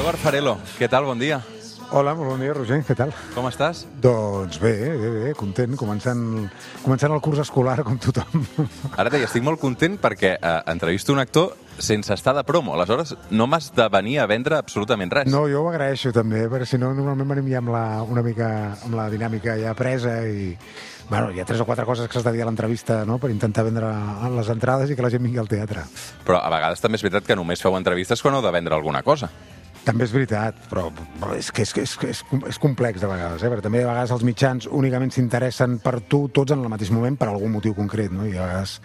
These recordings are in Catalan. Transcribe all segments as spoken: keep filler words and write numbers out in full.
Eduard Farelo, què tal? Bon dia. Hola, molt bon dia, Roger, què tal? Com estàs? Doncs bé, bé, bé, content, començant, començant el curs escolar com tothom. Ara t'hi estic molt content perquè eh, entrevisto un actor sense estar de promo, aleshores no m'has de venir a vendre absolutament res. No, jo ho agraeixo també, perquè si no normalment venim ja amb la, una mica amb la dinàmica ja presa i... Bueno, hi ha tres o quatre coses que s'has de dir a l'entrevista, no?, per intentar vendre les entrades i que la gent vingui al teatre. Però a vegades també és veritat que només feu entrevistes quan heu de vendre alguna cosa. També és veritat, però és que és, és, és, és complex de vegades, eh? Perquè també a vegades els mitjans únicament s'interessen per tu tots en el mateix moment per algun motiu concret, no? I a vegades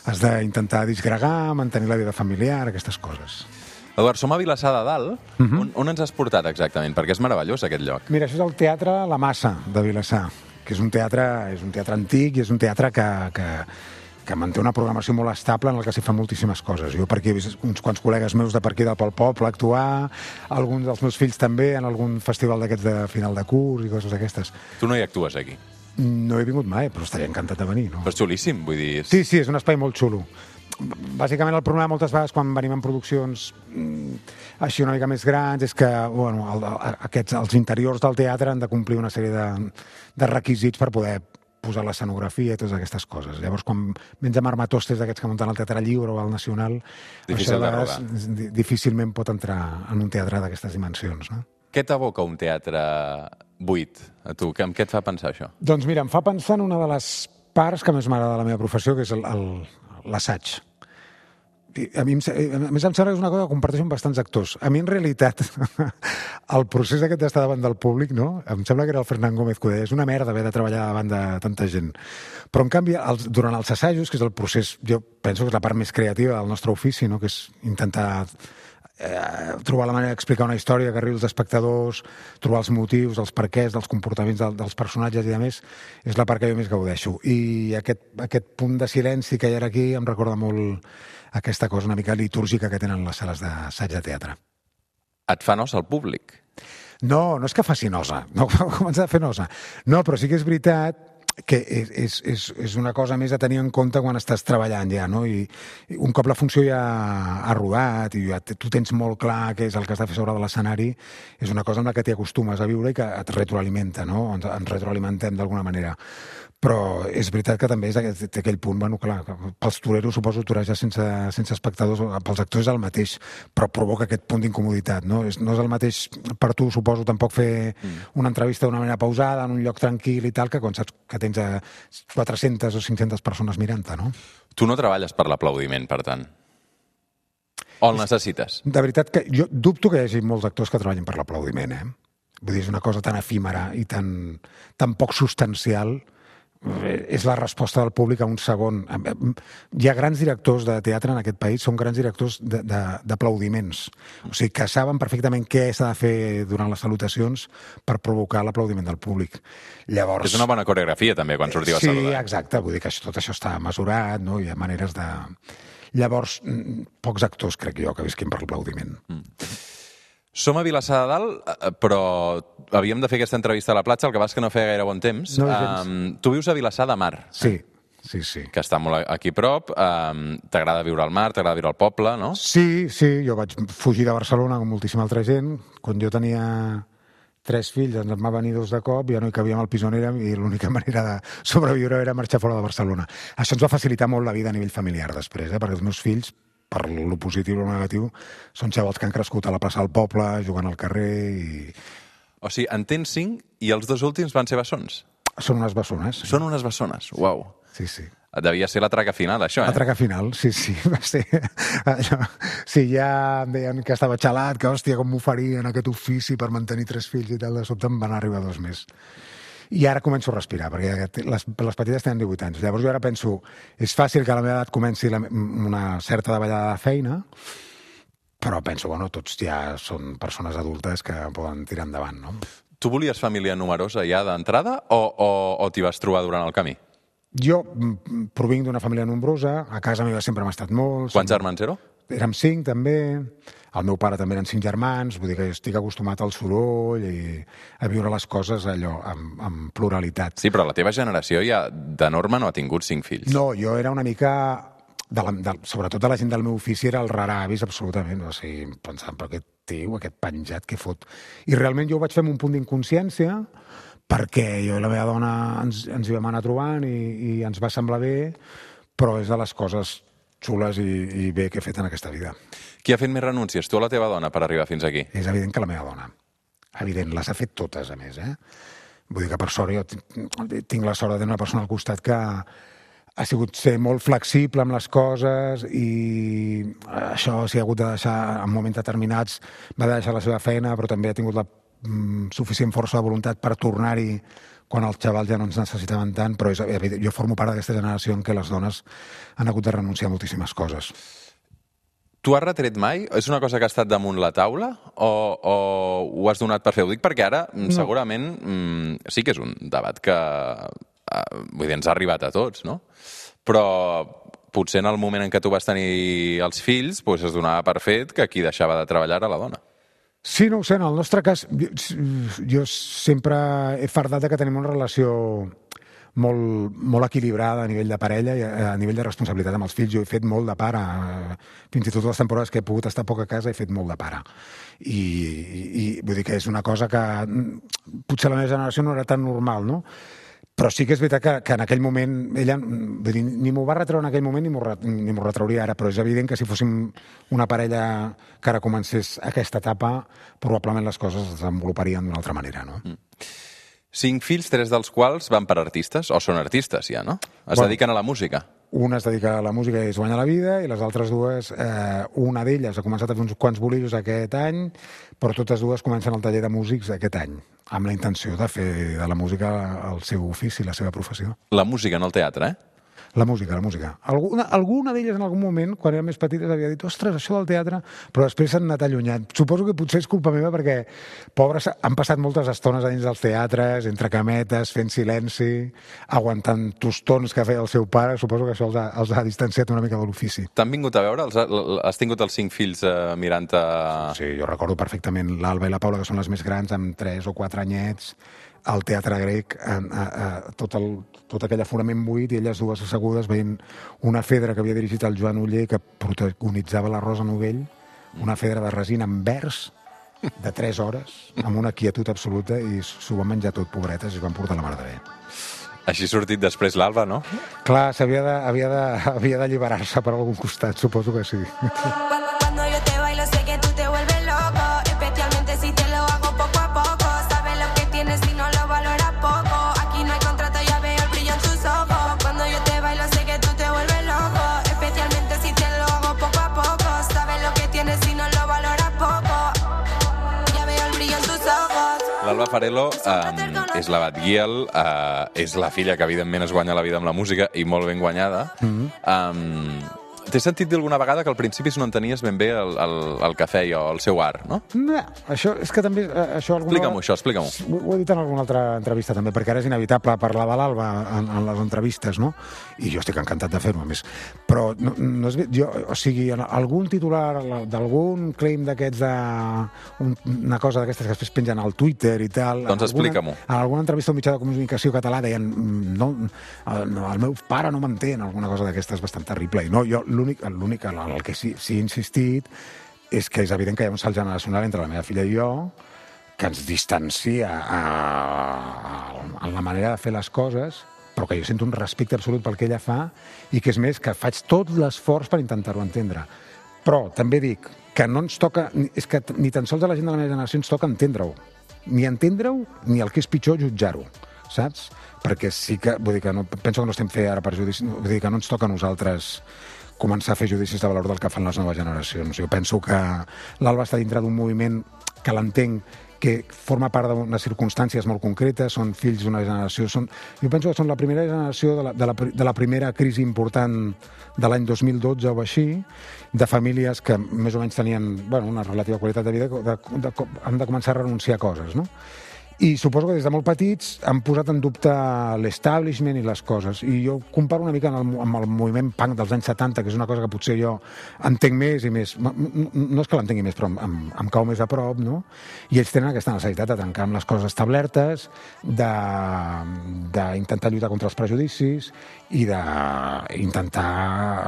has d'intentar disgregar, mantenir la vida familiar, aquestes coses. Eduard, som a Vilassar de Dalt. Uh-huh. on, on ens has portat exactament? Perquè és meravellós aquest lloc. Mira, això és el Teatre La Massa de Vilassar, que és un teatre, és un teatre antic i és un teatre que, que, que manté una programació molt estable en el que s'hi fa moltíssimes coses. Jo per aquí he vist uns quants col·legues meus de per aquí del Poble actuar, alguns dels meus fills també en algun festival d'aquests de final de curs i coses d'aquestes. Tu no hi actues aquí? No he vingut mai, però estaria encantat de venir, no? Però és xulíssim, vull dir... És... Sí, sí, és un espai molt xulo. Bàsicament el problema moltes vegades quan venim en produccions mm, així una mica més grans és que bueno, el, aquests, els interiors del teatre han de complir una sèrie de, de requisits per poder posar l'escenografia i totes aquestes coses. Llavors, quan vens amb armatostes d'aquests que munten al Teatre Lliure o al Nacional, difícil de rodar. Difícilment pot entrar en un teatre d'aquestes dimensions, no? Què t'evoca un teatre buit, a tu? Amb què et fa pensar això? Doncs mira, em fa pensar en una de les parts que més m'agrada de la meva professió, que és l'assaig. A mi, a més, em sembla que és una cosa que comparteixo amb bastants actors. A mi, en realitat, el procés aquest d'estar davant del públic, no? Em sembla que era el Fernán Gómez que ho deia, és una merda haver de treballar davant de tanta gent. Però, en canvi, els, durant els assajos, que és el procés, jo penso que és la part més creativa del nostre ofici, no?, que és intentar eh, trobar la manera d'explicar una història que arribi als espectadors, trobar els motius, els perquès, dels comportaments del, dels personatges i, a més, és la part que jo més gaudeixo. I aquest, aquest punt de silenci que hi ha aquí em recorda molt aquesta cosa una mica litúrgica que tenen les sales d'assaig de teatre. Et fa nosa el públic? No, no és que faci nosa, no comença a fer nosa. No, però sí que és veritat que és, és, és, és una cosa més a tenir en compte quan estàs treballant ja, no? I, i un cop la funció ja ha rodat i ja tu tens molt clar què és el que has de fer sobre de l'escenari, és una cosa amb la que t'hi acostumes a viure i que et retroalimenta, no? Ens, ens retroalimentem d'alguna manera. Però és veritat que també és aquell, aquell punt, bueno, clar, pels toreros suposo torejar sense, sense espectadors, pels actors és el mateix, però provoca aquest punt d'incomoditat, no? És, no és el mateix per tu, suposo, tampoc fer mm. una entrevista d'una manera pausada, en un lloc tranquil i tal, que quan saps que tens a quatre-centes o cinc-centes persones mirant-te, no? Tu no treballes per l'aplaudiment, per tant? O el necessites? De veritat que jo dubto que hi hagi molts actors que treballin per l'aplaudiment, eh? Vull dir, és una cosa tan efímera i tan, tan poc substancial. És la resposta del públic a un segon. Hi ha grans directors de teatre en aquest país, són grans directors d'aplaudiments. O sigui, que saben perfectament què s'ha de fer durant les salutacions per provocar l'aplaudiment del públic. Llavors... És una bona coreografia, també, quan sortiu a sí, saludar. Sí, exacte. Vull dir que tot això està mesurat, no? Hi ha maneres de... Llavors, pocs actors, crec jo, que visquin per l'aplaudiment. Mm. Som a Vilassar de Dalt, però havíem de fer aquesta entrevista a la platja, el que va és que no feia gaire bon temps. No, um, tu vius a Vilassar de Mar. Sí, sí, sí. Que està molt aquí a prop. Um, t'agrada viure al mar, t'agrada viure al poble, no? Sí, sí. Jo vaig fugir de Barcelona com moltíssima altra gent. Quan jo tenia tres fills, ens en va venir dos de cop, ja no hi cabíem al pis on érem i l'única manera de sobreviure era marxar fora de Barcelona. Això ens va facilitar molt la vida a nivell familiar després, eh? Perquè els meus fills, per lo positiu o lo negatiu, són xavals que han crescut a la plaça del poble, jugant al carrer i... O sigui, en tens cinc i els dos últims van ser bessons? Són unes bessones. Sí. Són unes bessones, uau. Sí, sí. Devia ser la traca final, això, eh? La traca final, sí, sí. Va ser... Sí, ja em deien que estava xalat, que, hòstia, com m'ho farien aquest ofici per mantenir tres fills i tal, de sobte em van arribar dos més. I ara començo a respirar, perquè les, les petites tenen divuit anys. Llavors jo ara penso, és fàcil que a la meva edat comenci la, una certa davallada de feina, però penso, bueno, tots ja són persones adultes que poden tirar endavant, no? Tu volies família numerosa ja d'entrada o, o, o t'hi vas trobar durant el camí? Jo provinc d'una família nombrosa, a casa meva sempre hem estat molts. Quants germans éreu? Érem cinc, també. El meu pare també eren cinc germans, vull dir que estic acostumat al soroll i a viure les coses allò, amb, amb pluralitat. Sí, però la teva generació ja de norma no ha tingut cinc fills. No, jo era una mica de la, de, sobretot de la gent del meu ofici, era el raravis, absolutament. O sigui, pensant, però aquest tio, aquest penjat que fot... I realment jo ho vaig fer amb un punt d'inconsciència, perquè jo i la meva dona ens, ens hi vam anar trobant i, i ens va semblar bé, però és de les coses xules i, i bé que he fet en aquesta vida. Qui ha fet més renúncies, tu o la teva dona, per arribar fins aquí? És evident que la meva dona. Evident, les ha fet totes, a més, eh? Vull dir que, per sort, jo tinc la sort de tenir una persona al costat que ha sigut ser molt flexible amb les coses i això s'hi ha hagut de deixar en moments determinats, va deixar la seva feina, però també ha tingut la mm, suficient força de voluntat per tornar-hi quan els xavals ja no ens necessitaven tant, però és, jo formo part d'aquesta generació en què les dones han hagut de renunciar a moltíssimes coses. Tu has retret mai? És una cosa que ha estat damunt la taula o, o ho has donat per fer? Ho dic perquè ara no. segurament mm, sí que és un debat que eh, vull dir, ens ha arribat a tots, no? Però potser en el moment en què tu vas tenir els fills doncs es donava per fet que qui deixava de treballar era la dona. Sí, no ho sé, en el nostre cas jo, jo sempre he fardat de que tenim una relació molt, molt equilibrada a nivell de parella i a, a nivell de responsabilitat amb els fills. Jo he fet molt de pare, fins i tot les temporades que he pogut estar poc a casa he fet molt de pare. I, i, i vull dir que és una cosa que potser la meva generació no era tan normal, no? Però sí que és veritat que, que en aquell moment ella vull dir, ni m'ho va retreure en aquell moment ni m'ho ni m'ho retrauria ara, però és evident que si fóssim una parella que ara comencés aquesta etapa, probablement les coses es desenvoluparien d'una altra manera, no? Mm. Cinc fills, tres dels quals van per artistes, o són artistes ja, no? Es bueno, dediquen a la música. Una es dedica a la música i es guanya la vida, i les altres dues, eh, una d'elles ha començat a fer uns quants bolillos aquest any, però totes dues comencen el taller de músics aquest any, amb la intenció de fer de la música el seu ofici, la seva professió. La música, no el teatre, eh? La música, la música. Alguna, alguna d'elles en algun moment, quan eren més petites, havia dit ostres, això del teatre, però després s'han anat allunyant. Suposo que potser és culpa meva perquè, pobres, han passat moltes estones a dins dels teatres, entre cametes, fent silenci, aguantant tostons que feia el seu pare. Suposo que això els ha, els ha distanciat una mica de l'ofici. T'han vingut a veure? Els ha, has tingut els cinc fills eh, mirant-te... Sí, jo recordo perfectament l'Alba i la Paula, que són les més grans, amb tres o quatre anyets, al Teatre Grec, a, a, a, tot, el, tot aquell aforament buit, i elles dues assegudes veient una fedra que havia dirigit el Joan Oller, que protagonitzava la Rosa Novell, una fedra de resina en vers, de tres hores, amb una quietud absoluta, i s'ho van menjar tot, pobretes, i es van portar la mar de bé. Així ha sortit després l'Alba, no? Clar, havia de, havia de, havia d'alliberar-se per algun costat, suposo que sí. L'Alba Farelo eh, és la Batguiel, eh, és la filla que evidentment es guanya la vida amb la música i molt ben guanyada. Mm-hmm. eh, T'he sentit dir alguna vegada que al principi no entenies ben bé el, el, el que feia o el seu art, no? No, això és que també... Això alguna... Explica-m'ho, això, explica-m'ho. Ho, ho he dit en alguna altra entrevista també, perquè ara és inevitable parlar de l'Alba en, en les entrevistes, no? I jo estic encantat de fer-ho, a més. Però no, no és... Jo, o sigui, algun titular d'algun claim d'aquests de... Un, una cosa d'aquestes que després pengen al Twitter i tal... Doncs explica-m'ho. En alguna entrevista al mitjà de comunicació català deien no, el, el meu pare no m'entén, alguna cosa d'aquestes bastant terrible. I no, jo l'únic, l'únic en el que sí, sí he insistit és que és evident que hi ha un salt generacional entre la meva filla i jo que ens distancia a, a, a la manera de fer les coses, però que jo sento un respecte absolut pel que ella fa i que és més, que faig tot l'esforç per intentar-ho entendre. Però també dic que no ens toca, és que ni tan sols a la gent de la meva generació ens toca entendre-ho. Ni entendre-ho, ni el que és pitjor, jutjar-ho, saps? Perquè sí que, vull dir que no, penso que no estem fent ara per judici, vull dir que no ens toca a nosaltres començar a fer judicis de valor del que fan les noves generacions. Jo penso que l'Alba està dintre d'un moviment que l'entenc, que forma part d'unes circumstàncies molt concretes, són fills d'una generació... Són, jo penso que són la primera generació de la, de la, de la primera crisi important de l'any dos mil dotze o així, de famílies que més o menys tenien bueno, una relativa qualitat de vida, de, de, de, han de començar a renunciar a coses, no? I suposo que des de molt petits han posat en dubte l'establishment i les coses. I jo comparo una mica amb el, amb el moviment punk dels anys setanta, que és una cosa que potser jo entenc més i més... No és que l'entengui més, però em, em cau més a prop, no? I ells tenen aquesta necessitat de trencar amb les coses establertes, d'intentar lluitar contra els prejudicis i d'intentar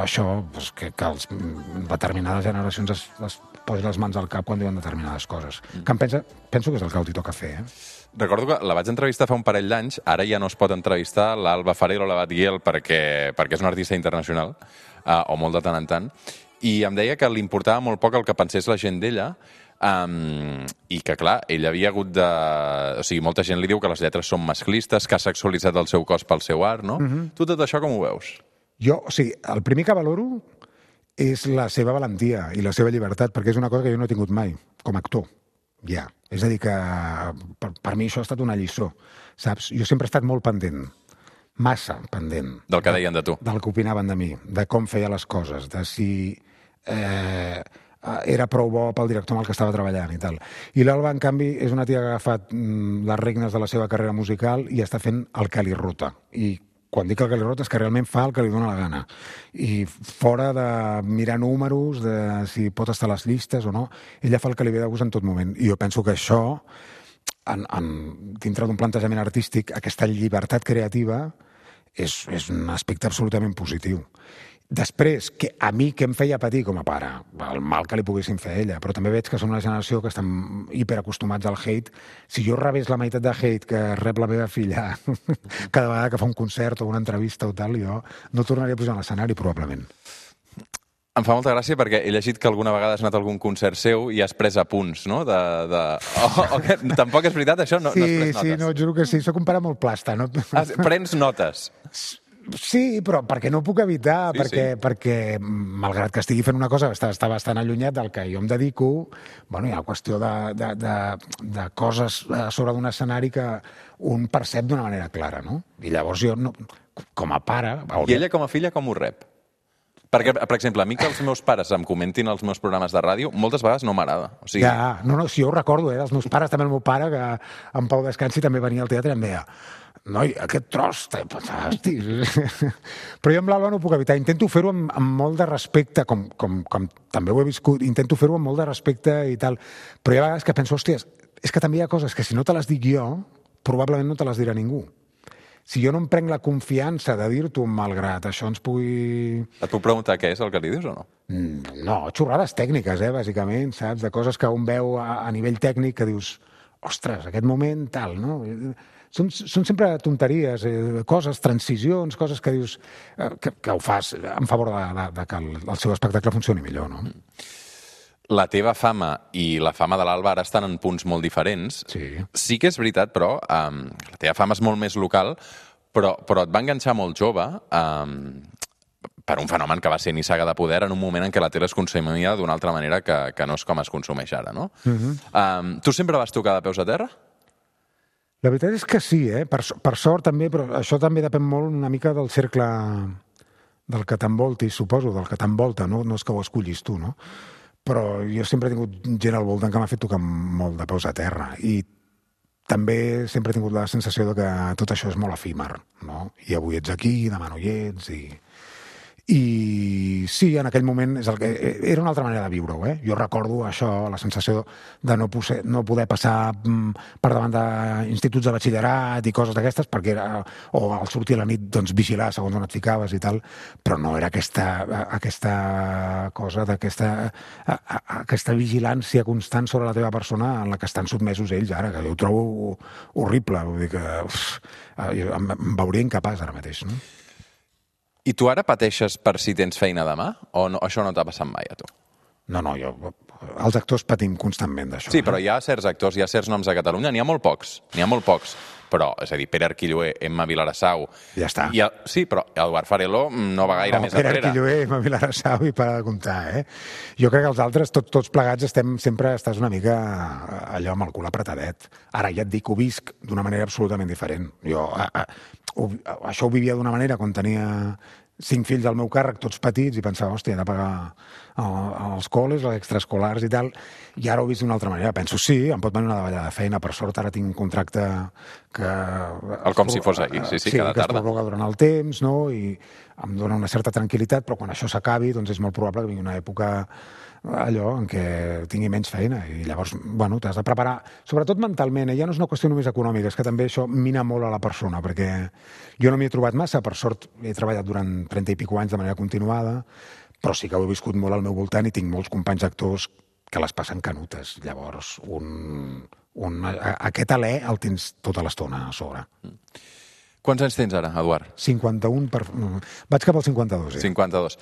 això, doncs, que, que els, determinades generacions es, es posin les mans al cap quan diuen determinades coses. Mm. Que em pensa, penso que és el que els toca fer, eh? Recordo que la vaig entrevistar fa un parell d'anys, ara ja no es pot entrevistar l'Alba Farell o la Batguiel perquè, perquè és una artista internacional, uh, o molt de tant en tant, i em deia que li importava molt poc el que pensés la gent d'ella, um, i que, clar, ell havia hagut de... O sigui, molta gent li diu que les lletres són masclistes, que ha sexualitzat el seu cos pel seu art, no? Mm-hmm. Tu tot això com ho veus? Jo, o sigui, el primer que valoro és la seva valentia i la seva llibertat, perquè és una cosa que jo no he tingut mai, com a actor. Ja. És a dir, que per, per mi això ha estat una lliçó, saps? Jo sempre he estat molt pendent, massa pendent. Del que deien de tu. Del que opinaven de mi, de com feia les coses, de si eh, era prou bo pel director amb el que estava treballant i tal. I l'Alba, en canvi, és una tia que ha agafat mm, les regnes de la seva carrera musical i està fent el que li rota. I quan dic el que li rota és que realment fa el que li dóna la gana. I fora de mirar números, de si pot estar a les llistes o no, ella fa el que li ve de gust en tot moment. I jo penso que això, en, en, dintre d'un plantejament artístic, aquesta llibertat creativa és, és un aspecte absolutament positiu. Després, que a mi què em feia patir com a pare? El mal que li poguessin fer a ella, però també veig que som una generació que estem hiperacostumats al hate. Si jo rebés la meitat de hate que rep la meva filla cada vegada que fa un concert o una entrevista o tal, jo no tornaria a pujar a l'escenari, probablement. Em fa molta gràcia perquè he llegit que alguna vegada has anat a algun concert seu i has pres apunts, no? De, de... Oh, oh, que... Tampoc és veritat, això? No, sí, no has pres notes? Sí, no, juro que sí. Soc un pare molt plasta, no? Has... Prens notes? Sí, però perquè no puc evitar, sí, perquè, sí. perquè malgrat que estigui fent una cosa que està, està bastant allunyat del que jo em dedico, bueno, hi ha qüestió de, de, de, de coses a sobre d'un escenari que un percep d'una manera clara, no? I llavors jo, no, com a pare... Hauria... I ella com a filla com ho rep? Perquè, per exemple, a mi que els meus pares em comentin els meus programes de ràdio, moltes vegades no m'agrada. O sigui... Ja, no, no, si jo ho recordo, eh, els meus pares, també el meu pare, que en Pau Descansi també venia al teatre i em deia noi, aquest tros, hosti... Però jo amb l'Alba no ho puc evitar. Intento fer-ho amb, amb molt de respecte, com, com, com també ho he viscut, intento fer-ho amb molt de respecte i tal. Però hi ha vegades que penso, hòstia, és que també hi ha coses que si no te les dic jo, probablement no te les dirà ningú. Si jo no em prenc la confiança de dir-t'ho malgrat això ens pugui... Et puc preguntar què és el que li dius o no? No, xorrades tècniques, eh, bàsicament, saps? De coses que un veu a, a nivell tècnic que dius, ostres, aquest moment tal, no? Són, són sempre tonteries, eh, coses, transicions, coses que dius eh, que, que ho fas en favor de, de, de que el, el seu espectacle funcioni millor, no? La teva fama i la fama de l'Alba ara estan en punts molt diferents. Sí. Sí que és veritat, però, um, la teva fama és molt més local, però, però et va enganxar molt jove um, per un fenomen que va ser Nissaga de Poder en un moment en què la tele es consumia d'una altra manera que, que no és com es consumeix ara, no? Uh-huh. um, tu sempre vas tocar de peus a terra? La veritat és que sí, eh? Per, per sort també, però això també depèn molt una mica del cercle del que t'envoltis, suposo, del que t'envolta, no? No és que ho escollis tu, no? Però jo sempre he tingut gent al voltant que m'ha fet tocar molt de peus a terra i també sempre he tingut la sensació de que tot això és molt efímer, no? I avui ets aquí, demà no hi ets i... I sí, en aquell moment és el que... era una altra manera de viure-ho, eh? Jo recordo això, la sensació de no, poder, no poder passar per davant d'instituts de batxillerat i coses d'aquestes, perquè era... o al sortir a la nit, doncs, vigilar segons on et ficaves i tal, però no era aquesta, aquesta cosa d'aquesta aquesta vigilància constant sobre la teva persona en la que estan sotmesos ells ara, que jo ho trobo horrible, vull dir que uf, em, em veuria incapaç ara mateix, no? I tu ara pateixes per si tens feina demà? O no, això no t'ha passat mai a tu? No, no, jo... Els actors patim constantment d'això. Sí, però hi ha certs actors, hi ha certs noms a Catalunya, n'hi ha molt pocs, n'hi ha molt pocs. Però, és a dir, Pere Arquilloé, Emma Vilarassau... Ja està. I el, sí, però Eduard Fareló no va gaire no, més Pere enrere. Pere Arquilloé, Emma Vilarassau i per comptar, eh? Jo crec que els altres, tot, tots plegats, estem sempre estàs una mica allò amb el cul apretadet. Ara ja et dic, ho visc d'una manera absolutament diferent. Jo a, a, ho, això ho vivia d'una manera quan tenia cinc fills al meu càrrec, tots petits, i pensava, hòstia, he de pagar els col·les, els extraescolars i tal, i ara ho he vist d'una altra manera. Penso, sí, em pot venir una davallada de feina, per sort ara tinc un contracte que... El com si fos ahir, sí, sí, sí cada que tarda. es prorroga durant el temps, no?, i em dona una certa tranquil·litat, però quan això s'acabi, doncs és molt probable que vingui una època allò en què tingui menys feina, i llavors, bueno, t'has de preparar, sobretot mentalment, eh? Ja no és una qüestió només econòmica, és que també això mina molt a la persona, perquè jo no m'hi he trobat massa, per sort he treballat durant trenta i pico anys de manera continuada, però sí que ho he viscut molt al meu voltant i tinc molts companys actors que les passen canutes. Llavors, un, un, aquest alè el tens tota l'estona a sobre. Quants anys tens ara, Eduard? cinquanta-un per... Vaig cap al cinquanta-dos, eh? cinquanta-dos.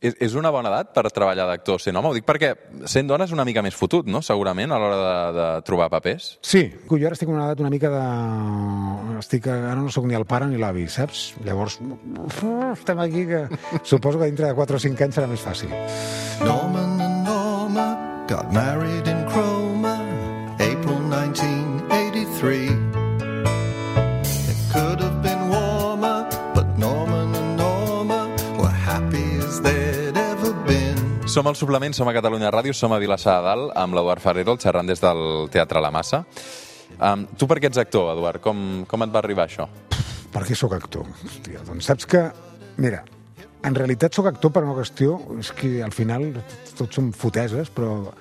És, és una bona edat per treballar d'actor sent home? Ho dic perquè sent dona és una mica més fotut, no?, segurament, a l'hora de, de trobar papers. Sí, jo ara estic en una edat una mica de... Estic... Ara no sóc ni el pare ni l'avi, saps? Llavors, estem aquí que... Suposo que dintre de quatre o cinc anys serà més fàcil. Norman and Norma got married in Cromer, April nineteen eighty-three. It could have been warmer, but Norman and Norma were happy as they'd ever been. Som al Suplement, som a Catalunya Ràdio, som a Vilassar de Dalt, amb l'Eduard Ferrero, xerrant des del Teatre La Massa. Um, tu per què ets actor, Eduard? Com, com et va arribar això? Per què sóc actor? Hòstia, doncs saps que... Mira, en realitat sóc actor per una qüestió... És que al final tots són foteses, però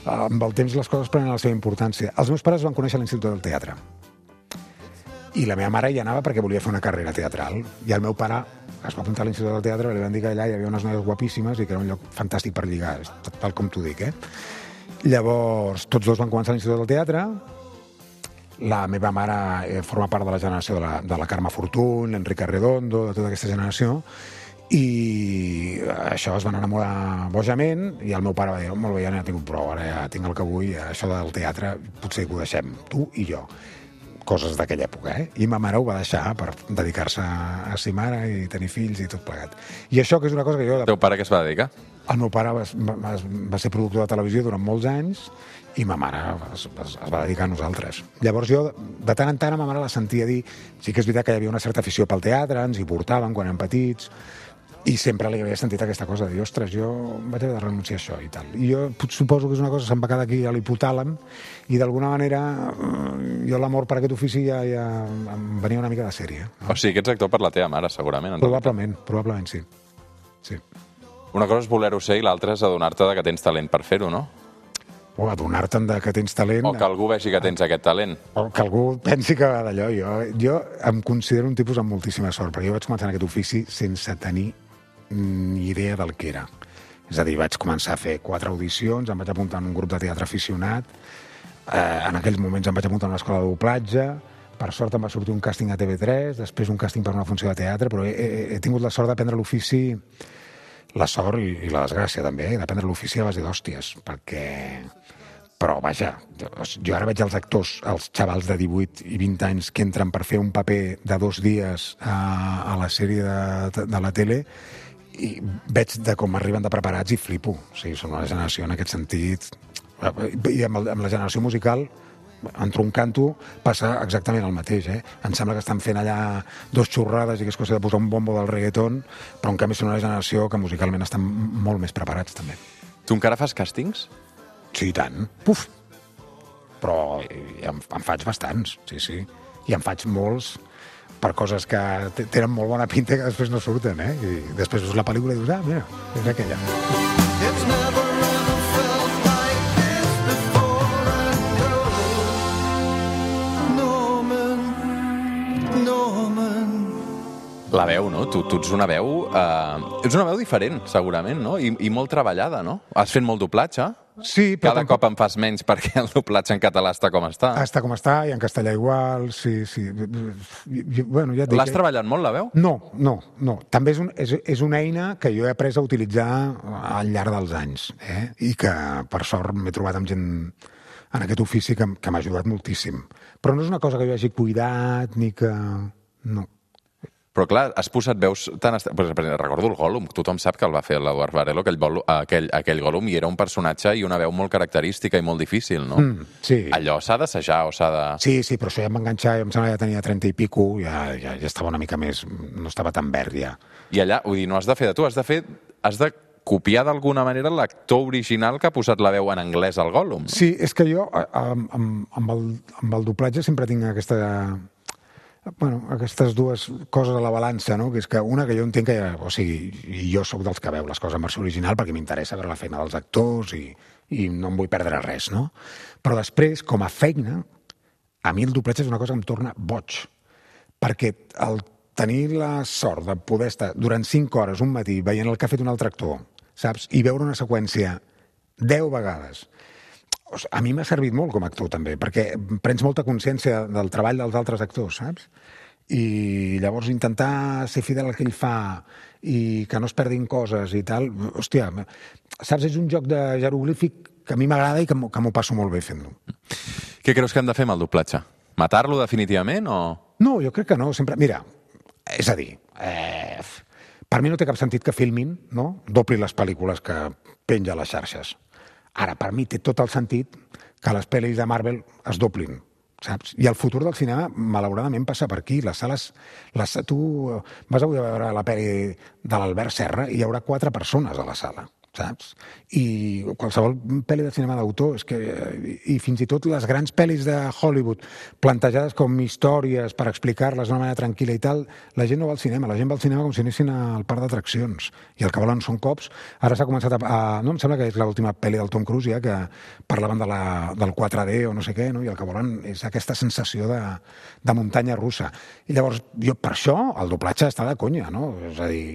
amb el temps les coses prenen la seva importància. Els meus pares van conèixer l'Institut del Teatre. I la meva mare hi anava perquè volia fer una carrera teatral. I el meu pare es va apuntar a l'Institut del Teatre, li van dir que allà hi havia unes noies guapíssimes i que era un lloc fantàstic per lligar, tal com t'ho dic, eh? Llavors, tots dos van començar a l'Institut del Teatre. La meva mare eh, forma part de la generació de la, de la Carme Fortuny, l'Enrique Arredondo, de tota aquesta generació, i això es van enamorar bojament, i el meu pare va dir, molt bé, ja n'he tingut prou, ara ja tinc el que vull, això del teatre potser que ho deixem, tu i jo. Coses d'aquella època, eh? I ma mare ho va deixar per dedicar-se a ser mare i tenir fills i tot plegat. I això que és una cosa que jo... El teu pare què es va dedicar? El meu pare va, va, va ser productor de televisió durant molts anys i ma mare es, es, es va dedicar a nosaltres. Llavors jo, de tant en tant, a ma mare la sentia dir... Sí que és veritat que hi havia una certa afició pel teatre, ens hi portaven quan érem petits, i sempre li havia sentit aquesta cosa de dir, ostres, jo vaig haver de renunciar a això i tal. I jo suposo que és una cosa que se'm va quedar aquí a l'hipotàlem i d'alguna manera jo l'amor per aquest ofici ja, ja em venia una mica de sèrie. No? O sigui, que ets actor per la teva mare, segurament. Probablement, probablement sí. sí. Una cosa és voler-ho ser i l'altra és adonar-te de que tens talent per fer-ho, no? O adonar-te'n de que tens talent... O que algú vegi que tens aquest talent. O que algú pensi que va d'allò. Jo, jo em considero un tipus amb moltíssima sort, perquè jo vaig començar en aquest ofici sense tenir ni idea del que era. És a dir, vaig començar a fer quatre audicions, em vaig apuntar en un grup de teatre aficionat, eh, en aquells moments em vaig apuntar en una escola de doblatge, per sort em va sortir un càsting a T V tres, després un càsting per una funció de teatre, però he, he, he tingut la sort d'aprendre l'ofici, la sort i, i la desgràcia també, eh, d'aprendre l'ofici a base d'hòsties, perquè... Però, vaja, jo ara veig els actors, els xavals de divuit i vint anys que entren per fer un paper de dos dies a, a la sèrie de, de la tele i veig de com arriben de preparats i flipo. O sigui, són una generació en aquest sentit... I amb, el, amb la generació musical, entre un canto, passa exactament el mateix, eh? Em sembla que estan fent allà dos xurrades i que és cosa de posar un bombo del reggaeton, però en canvi són una generació que musicalment estan molt més preparats, també. Tu encara fas càstings? Sí, i tant. Puf! Però em, em faig bastants, sí, sí. I em faig molts per coses que tenen molt bona pinta que després no surten, eh? I després veus la pel·lícula i dius, ah, mira, és aquella. It's never ever felt like this before and no. Norman, Norman. La veu, no? Tu, tu ets una veu... Eh, ets una veu diferent, segurament, no? I, i molt treballada, no? Has fet molt doblatge? Sí, però Cada tampoc... cop en fas menys perquè el doblatge en català està com està. Està com està, i en castellà igual, sí, sí. I, bueno, ja et dic, L'has treballat molt, la veu? No, no, no. També és, un, és, és una eina que jo he après a utilitzar al llarg dels anys, eh? I que, per sort, m'he trobat amb gent en aquest ofici que, que m'ha ajudat moltíssim. Però no és una cosa que jo hagi cuidat ni que... No. Però clar, has posat veus tan... Est... Per exemple, recordo el Gollum, tothom sap que el va fer l'Eduard Varelo, aquell, bolo, aquell, aquell Gollum, i era un personatge i una veu molt característica i molt difícil, no? Mm, sí. Allò s'ha d'assajar o s'ha de... Sí, sí, però això ja em va enganxar, jo em sembla que ja tenia trenta i pico, ja, ja, ja estava una mica més... no estava tan verd, ja. I allà, vull dir, no has de fer de tu, has de fer... Has de copiar d'alguna manera l'actor original que ha posat la veu en anglès al Gollum. No? Sí, és que jo, amb, amb, amb, el, amb el doblatge sempre tinc aquesta... Bueno, aquestes dues coses a la balança, no? Que és que una que jo entenc que, o sigui, jo sóc dels que veu les coses en versió original perquè m'interessa veure la feina dels actors i, i no em vull perdre res, no? Però després, com a feina, a mi el doblatge és una cosa que em torna boig, perquè el tenir la sort de poder estar durant cinc hores un matí veient el que ha fet un altre actor, saps? I veure una seqüència deu vegades, a mi m'ha servit molt com a actor també, perquè prens molta consciència del treball dels altres actors, saps? I llavors intentar ser fidel al que ell fa i que no es perdin coses i tal, hòstia, saps? És un joc de jeroglífic que a mi m'agrada i que m'ho passo molt bé fent-lo. Què creus que hem de fer amb el doblatge? Matar-lo definitivament o...? No, jo crec que no, sempre... Mira, és a dir, eh, per mi no té cap sentit que filmin, no? Doblin les pel·lícules que penja a les xarxes. Ara, per mi té tot el sentit que les pel·lis de Marvel es doblin, saps? I el futur del cinema, malauradament, passa per aquí. Les sales... Les, tu vas avui a veure la pel·li de l'Albert Serra i hi haurà quatre persones a la sala, saps? I qualsevol pel·li de cinema d'autor és que... I fins i tot les grans pel·lis de Hollywood plantejades com històries per explicar-les d'una manera tranquil·la i tal, la gent no va al cinema, la gent va al cinema com si anessin al parc d'atraccions i el que volen són cops. Ara s'ha començat a, a... No, em sembla que és l'última pel·li del Tom Cruise ja, que parlaven de la, del quatre D o no sé què, no? I el que volen és aquesta sensació de, de muntanya russa. I llavors, jo per això el doblatge està de conya, no? És a dir...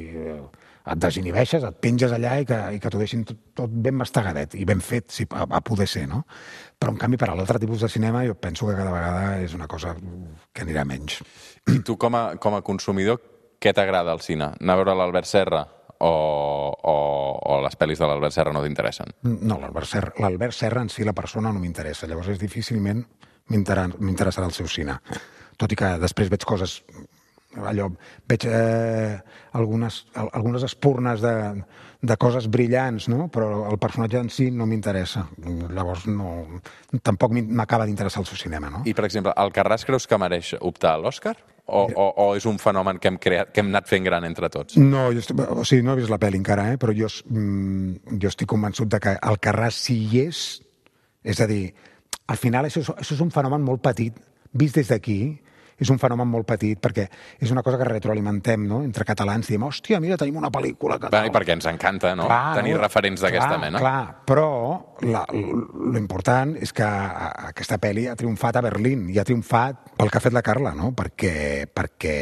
et desinhibeixes, et penges allà i que, i que t'ho deixin tot, tot ben mastegadet i ben fet, si, a, a poder ser, no? Però, en canvi, per a l'altre tipus de cinema jo penso que cada vegada és una cosa que anirà menys. I tu, com a, com a consumidor, què t'agrada al cine? Anar a veure l'Albert Serra o, o, o les pel·lis de l'Albert Serra no t'interessen? No, l'Albert Serra, l'Albert Serra en si, la persona, no m'interessa. Llavors, és difícilment m'interessarà el seu cine. Tot i que després veig coses... allò, veig eh, algunes, algunes espurnes de, de coses brillants, no? Però el personatge en si no m'interessa. Llavors no, tampoc m'acaba d'interessar el seu cinema, no? I, per exemple, Alcarràs creus que mereix optar a l'Òscar? O, o, o és un fenomen que hem, creat, que hem anat fent gran entre tots? No, jo estic, o sigui, no he vist la pel·li encara, eh? Però jo, mm, jo estic convençut de que Alcarràs si hi és, és a dir, al final això, això és un fenomen molt petit, vist des d'aquí, és un fenomen molt petit, perquè és una cosa que retroalimentem, no? Entre catalans, diem, hòstia, mira, tenim una pel·lícula que... Bé, perquè ens encanta, no? Clar, tenir no? referents d'aquesta mena. Clar, però l'important és que aquesta pel·li ha triomfat a Berlín i ha triomfat pel que ha fet la Carla, no? Perquè, perquè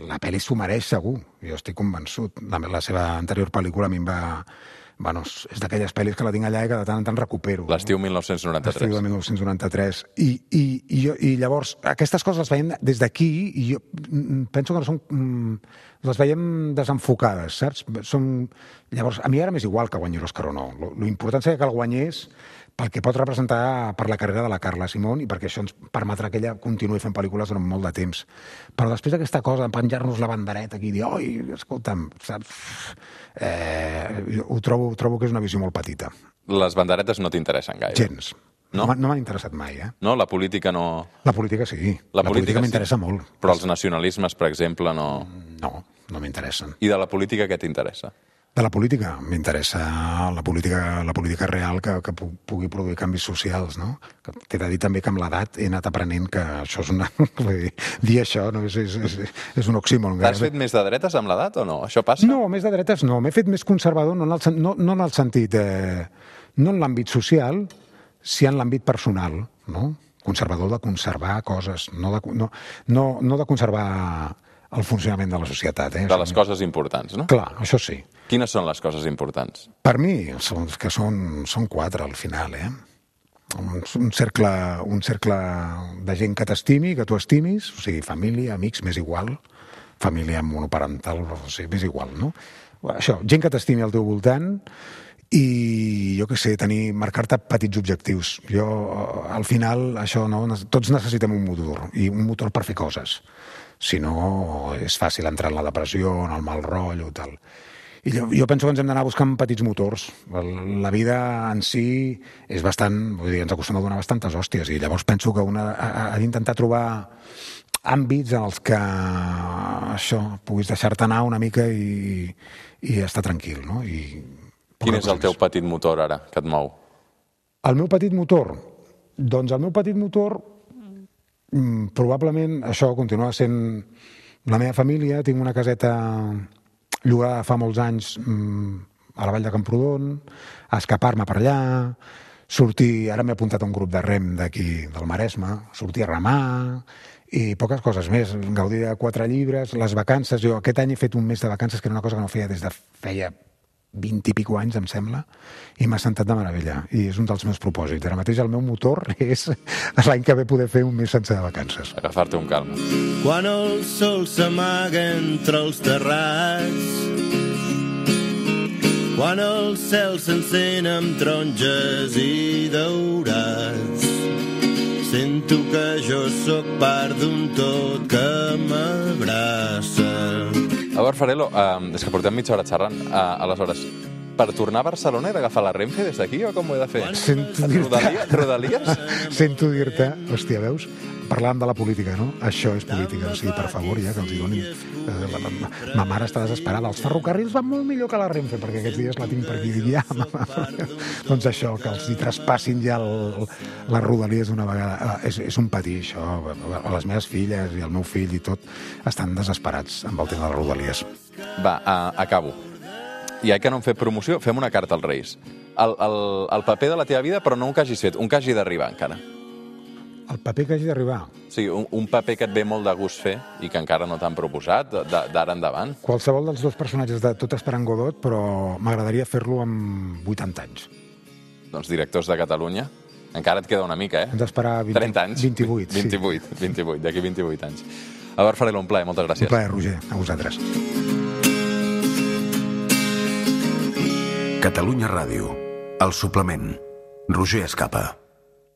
la pel·li s'ho mereix segur, jo estic convençut. La, la seva anterior pel·lícula a mi em va... Bueno, és d'aquelles pel·lis que la tinc allà i que de tant en tant recupero. L'estiu dinou noranta-tres. L'estiu de dinou noranta-tres. I, i, i, jo, I llavors, aquestes coses les veiem des d'aquí i jo penso que no són... Les veiem desenfocades, saps? Són... Llavors, a mi ara m'és igual que guanyi l'Òscar o no. L'important seria que el guanyés pel que pot representar per la carrera de la Carla Simón i perquè això ens permetrà que ella continuï fent pel·lícules durant molt de temps. Però després d'aquesta cosa, de penjar-nos la bandereta aquí i dir, oi, escolta'm, saps? Eh, ho trobo, trobo que és una visió molt petita. Les banderetes no t'interessen gaire? Gens. No, no m'han interessat mai, eh? No, la política no... La política sí. La, la política, política m'interessa sí. molt. Però els nacionalismes, per exemple, no... No, no m'interessen. I de la política què t'interessa? De la política m'interessa la política, la política real que, que pugui produir canvis socials, no? T'he de dir també que amb l'edat he anat aprenent que això és una... Dir, dir això no? és, és, és, és un oxímoron. T'has fet més de dretes amb l'edat o no? Això passa? No, més de dretes no. M'he fet més conservador, no en el, no, no en el sentit... Eh, no en l'àmbit social, si en l'àmbit personal, no? Conservador de conservar coses, no de, no, no, no de conservar el funcionament de la societat. Eh? De les coses importants, no? Clar, això sí. Quines són les coses importants? Per mi, són, que són, són quatre al final, eh? Un, un, cercle, un cercle de gent que t'estimi, que tu estimis, o sigui, família, amics, m'és igual, família monoparental, o sigui, m'és igual, no? Això, gent que t'estimi al teu voltant i jo què sé, tenir, marcar-te petits objectius. Jo, al final, això, no? Tots necessitem un motor, i un motor per fer coses. Si no, és fàcil entrar en la depressió, en el mal rotllo, tal. I jo, jo penso que ens hem d'anar buscant petits motors. La vida en si és bastant, vull dir, ens acostuma a donar bastantes hòsties, i llavors penso que una ha, ha d'intentar trobar àmbits en els que això, puguis deixar-te anar una mica i, i estar tranquil, no? I quin és el teu petit motor ara, que et mou? El meu petit motor? Doncs el meu petit motor mm, probablement això continua sent la meva família. Tinc una caseta llogada fa molts anys mm, a la Vall de Camprodon, a escapar-me per allà, sortir, ara m'he apuntat a un grup de rem d'aquí del Maresme, sortir a remar i poques coses més, gaudir de quatre llibres, les vacances. Jo aquest any he fet un mes de vacances, que era una cosa que no feia des de feia vint i pico anys, em sembla, i m'ha sentat de meravella, i és un dels meus propòsits. Ara mateix el meu motor és l'any que ve poder fer un mes sense de vacances. Agafar-te un calma. Quan el sol s'amaga entre els terrats, quan el cel s'encén amb taronges i daurats, sento que jo sóc part d'un tot que m'abraça. Albert Farelo, uh, és que portem mitja hora xerrant. Uh, aleshores, per tornar a Barcelona he d'agafar la Renfe des d'aquí o com ho he de fer? Sento dir-te... Rodalies? Sento dir-te... Hòstia, veus? Parlàvem de la política, no? Això és política. O sigui, per favor, ja, que els hi donin... Eh, la, la, ma mare està desesperada. Els ferrocarrils van molt millor que la Renfe, perquè aquests dies la tinc per aquí. Dic, ja, mama. Doncs això, que els hi traspassin ja el, les rodalies d'una vegada. És, és un patí, això. Les meves filles i el meu fill i tot estan desesperats amb el tema de les rodalies. Va, uh, acabo. Ja que no hem fet promoció, fem una carta als Reis. El, el, el paper de la teva vida, però no un que hagis fet, un que hagi d'arribar encara. El paper que hagi d'arribar? Sí, un, un paper que et ve molt de gust fer i que encara no t'han proposat, d'ara endavant. Qualsevol dels dos personatges de Tot esperant Godot, però m'agradaria fer-lo amb vuitanta anys. Doncs directors de Catalunya. Encara et queda una mica, eh? Hem d'esperar trenta anys. vint-i-vuit. vint-i-vuit, sí. vint-i-vuit, d'aquí vint-i-vuit anys. Albert Farelo, un plaer, moltes gràcies. Un plaer, Roger, a vosaltres. Catalunya Ràdio, el suplement. Roger Escapa.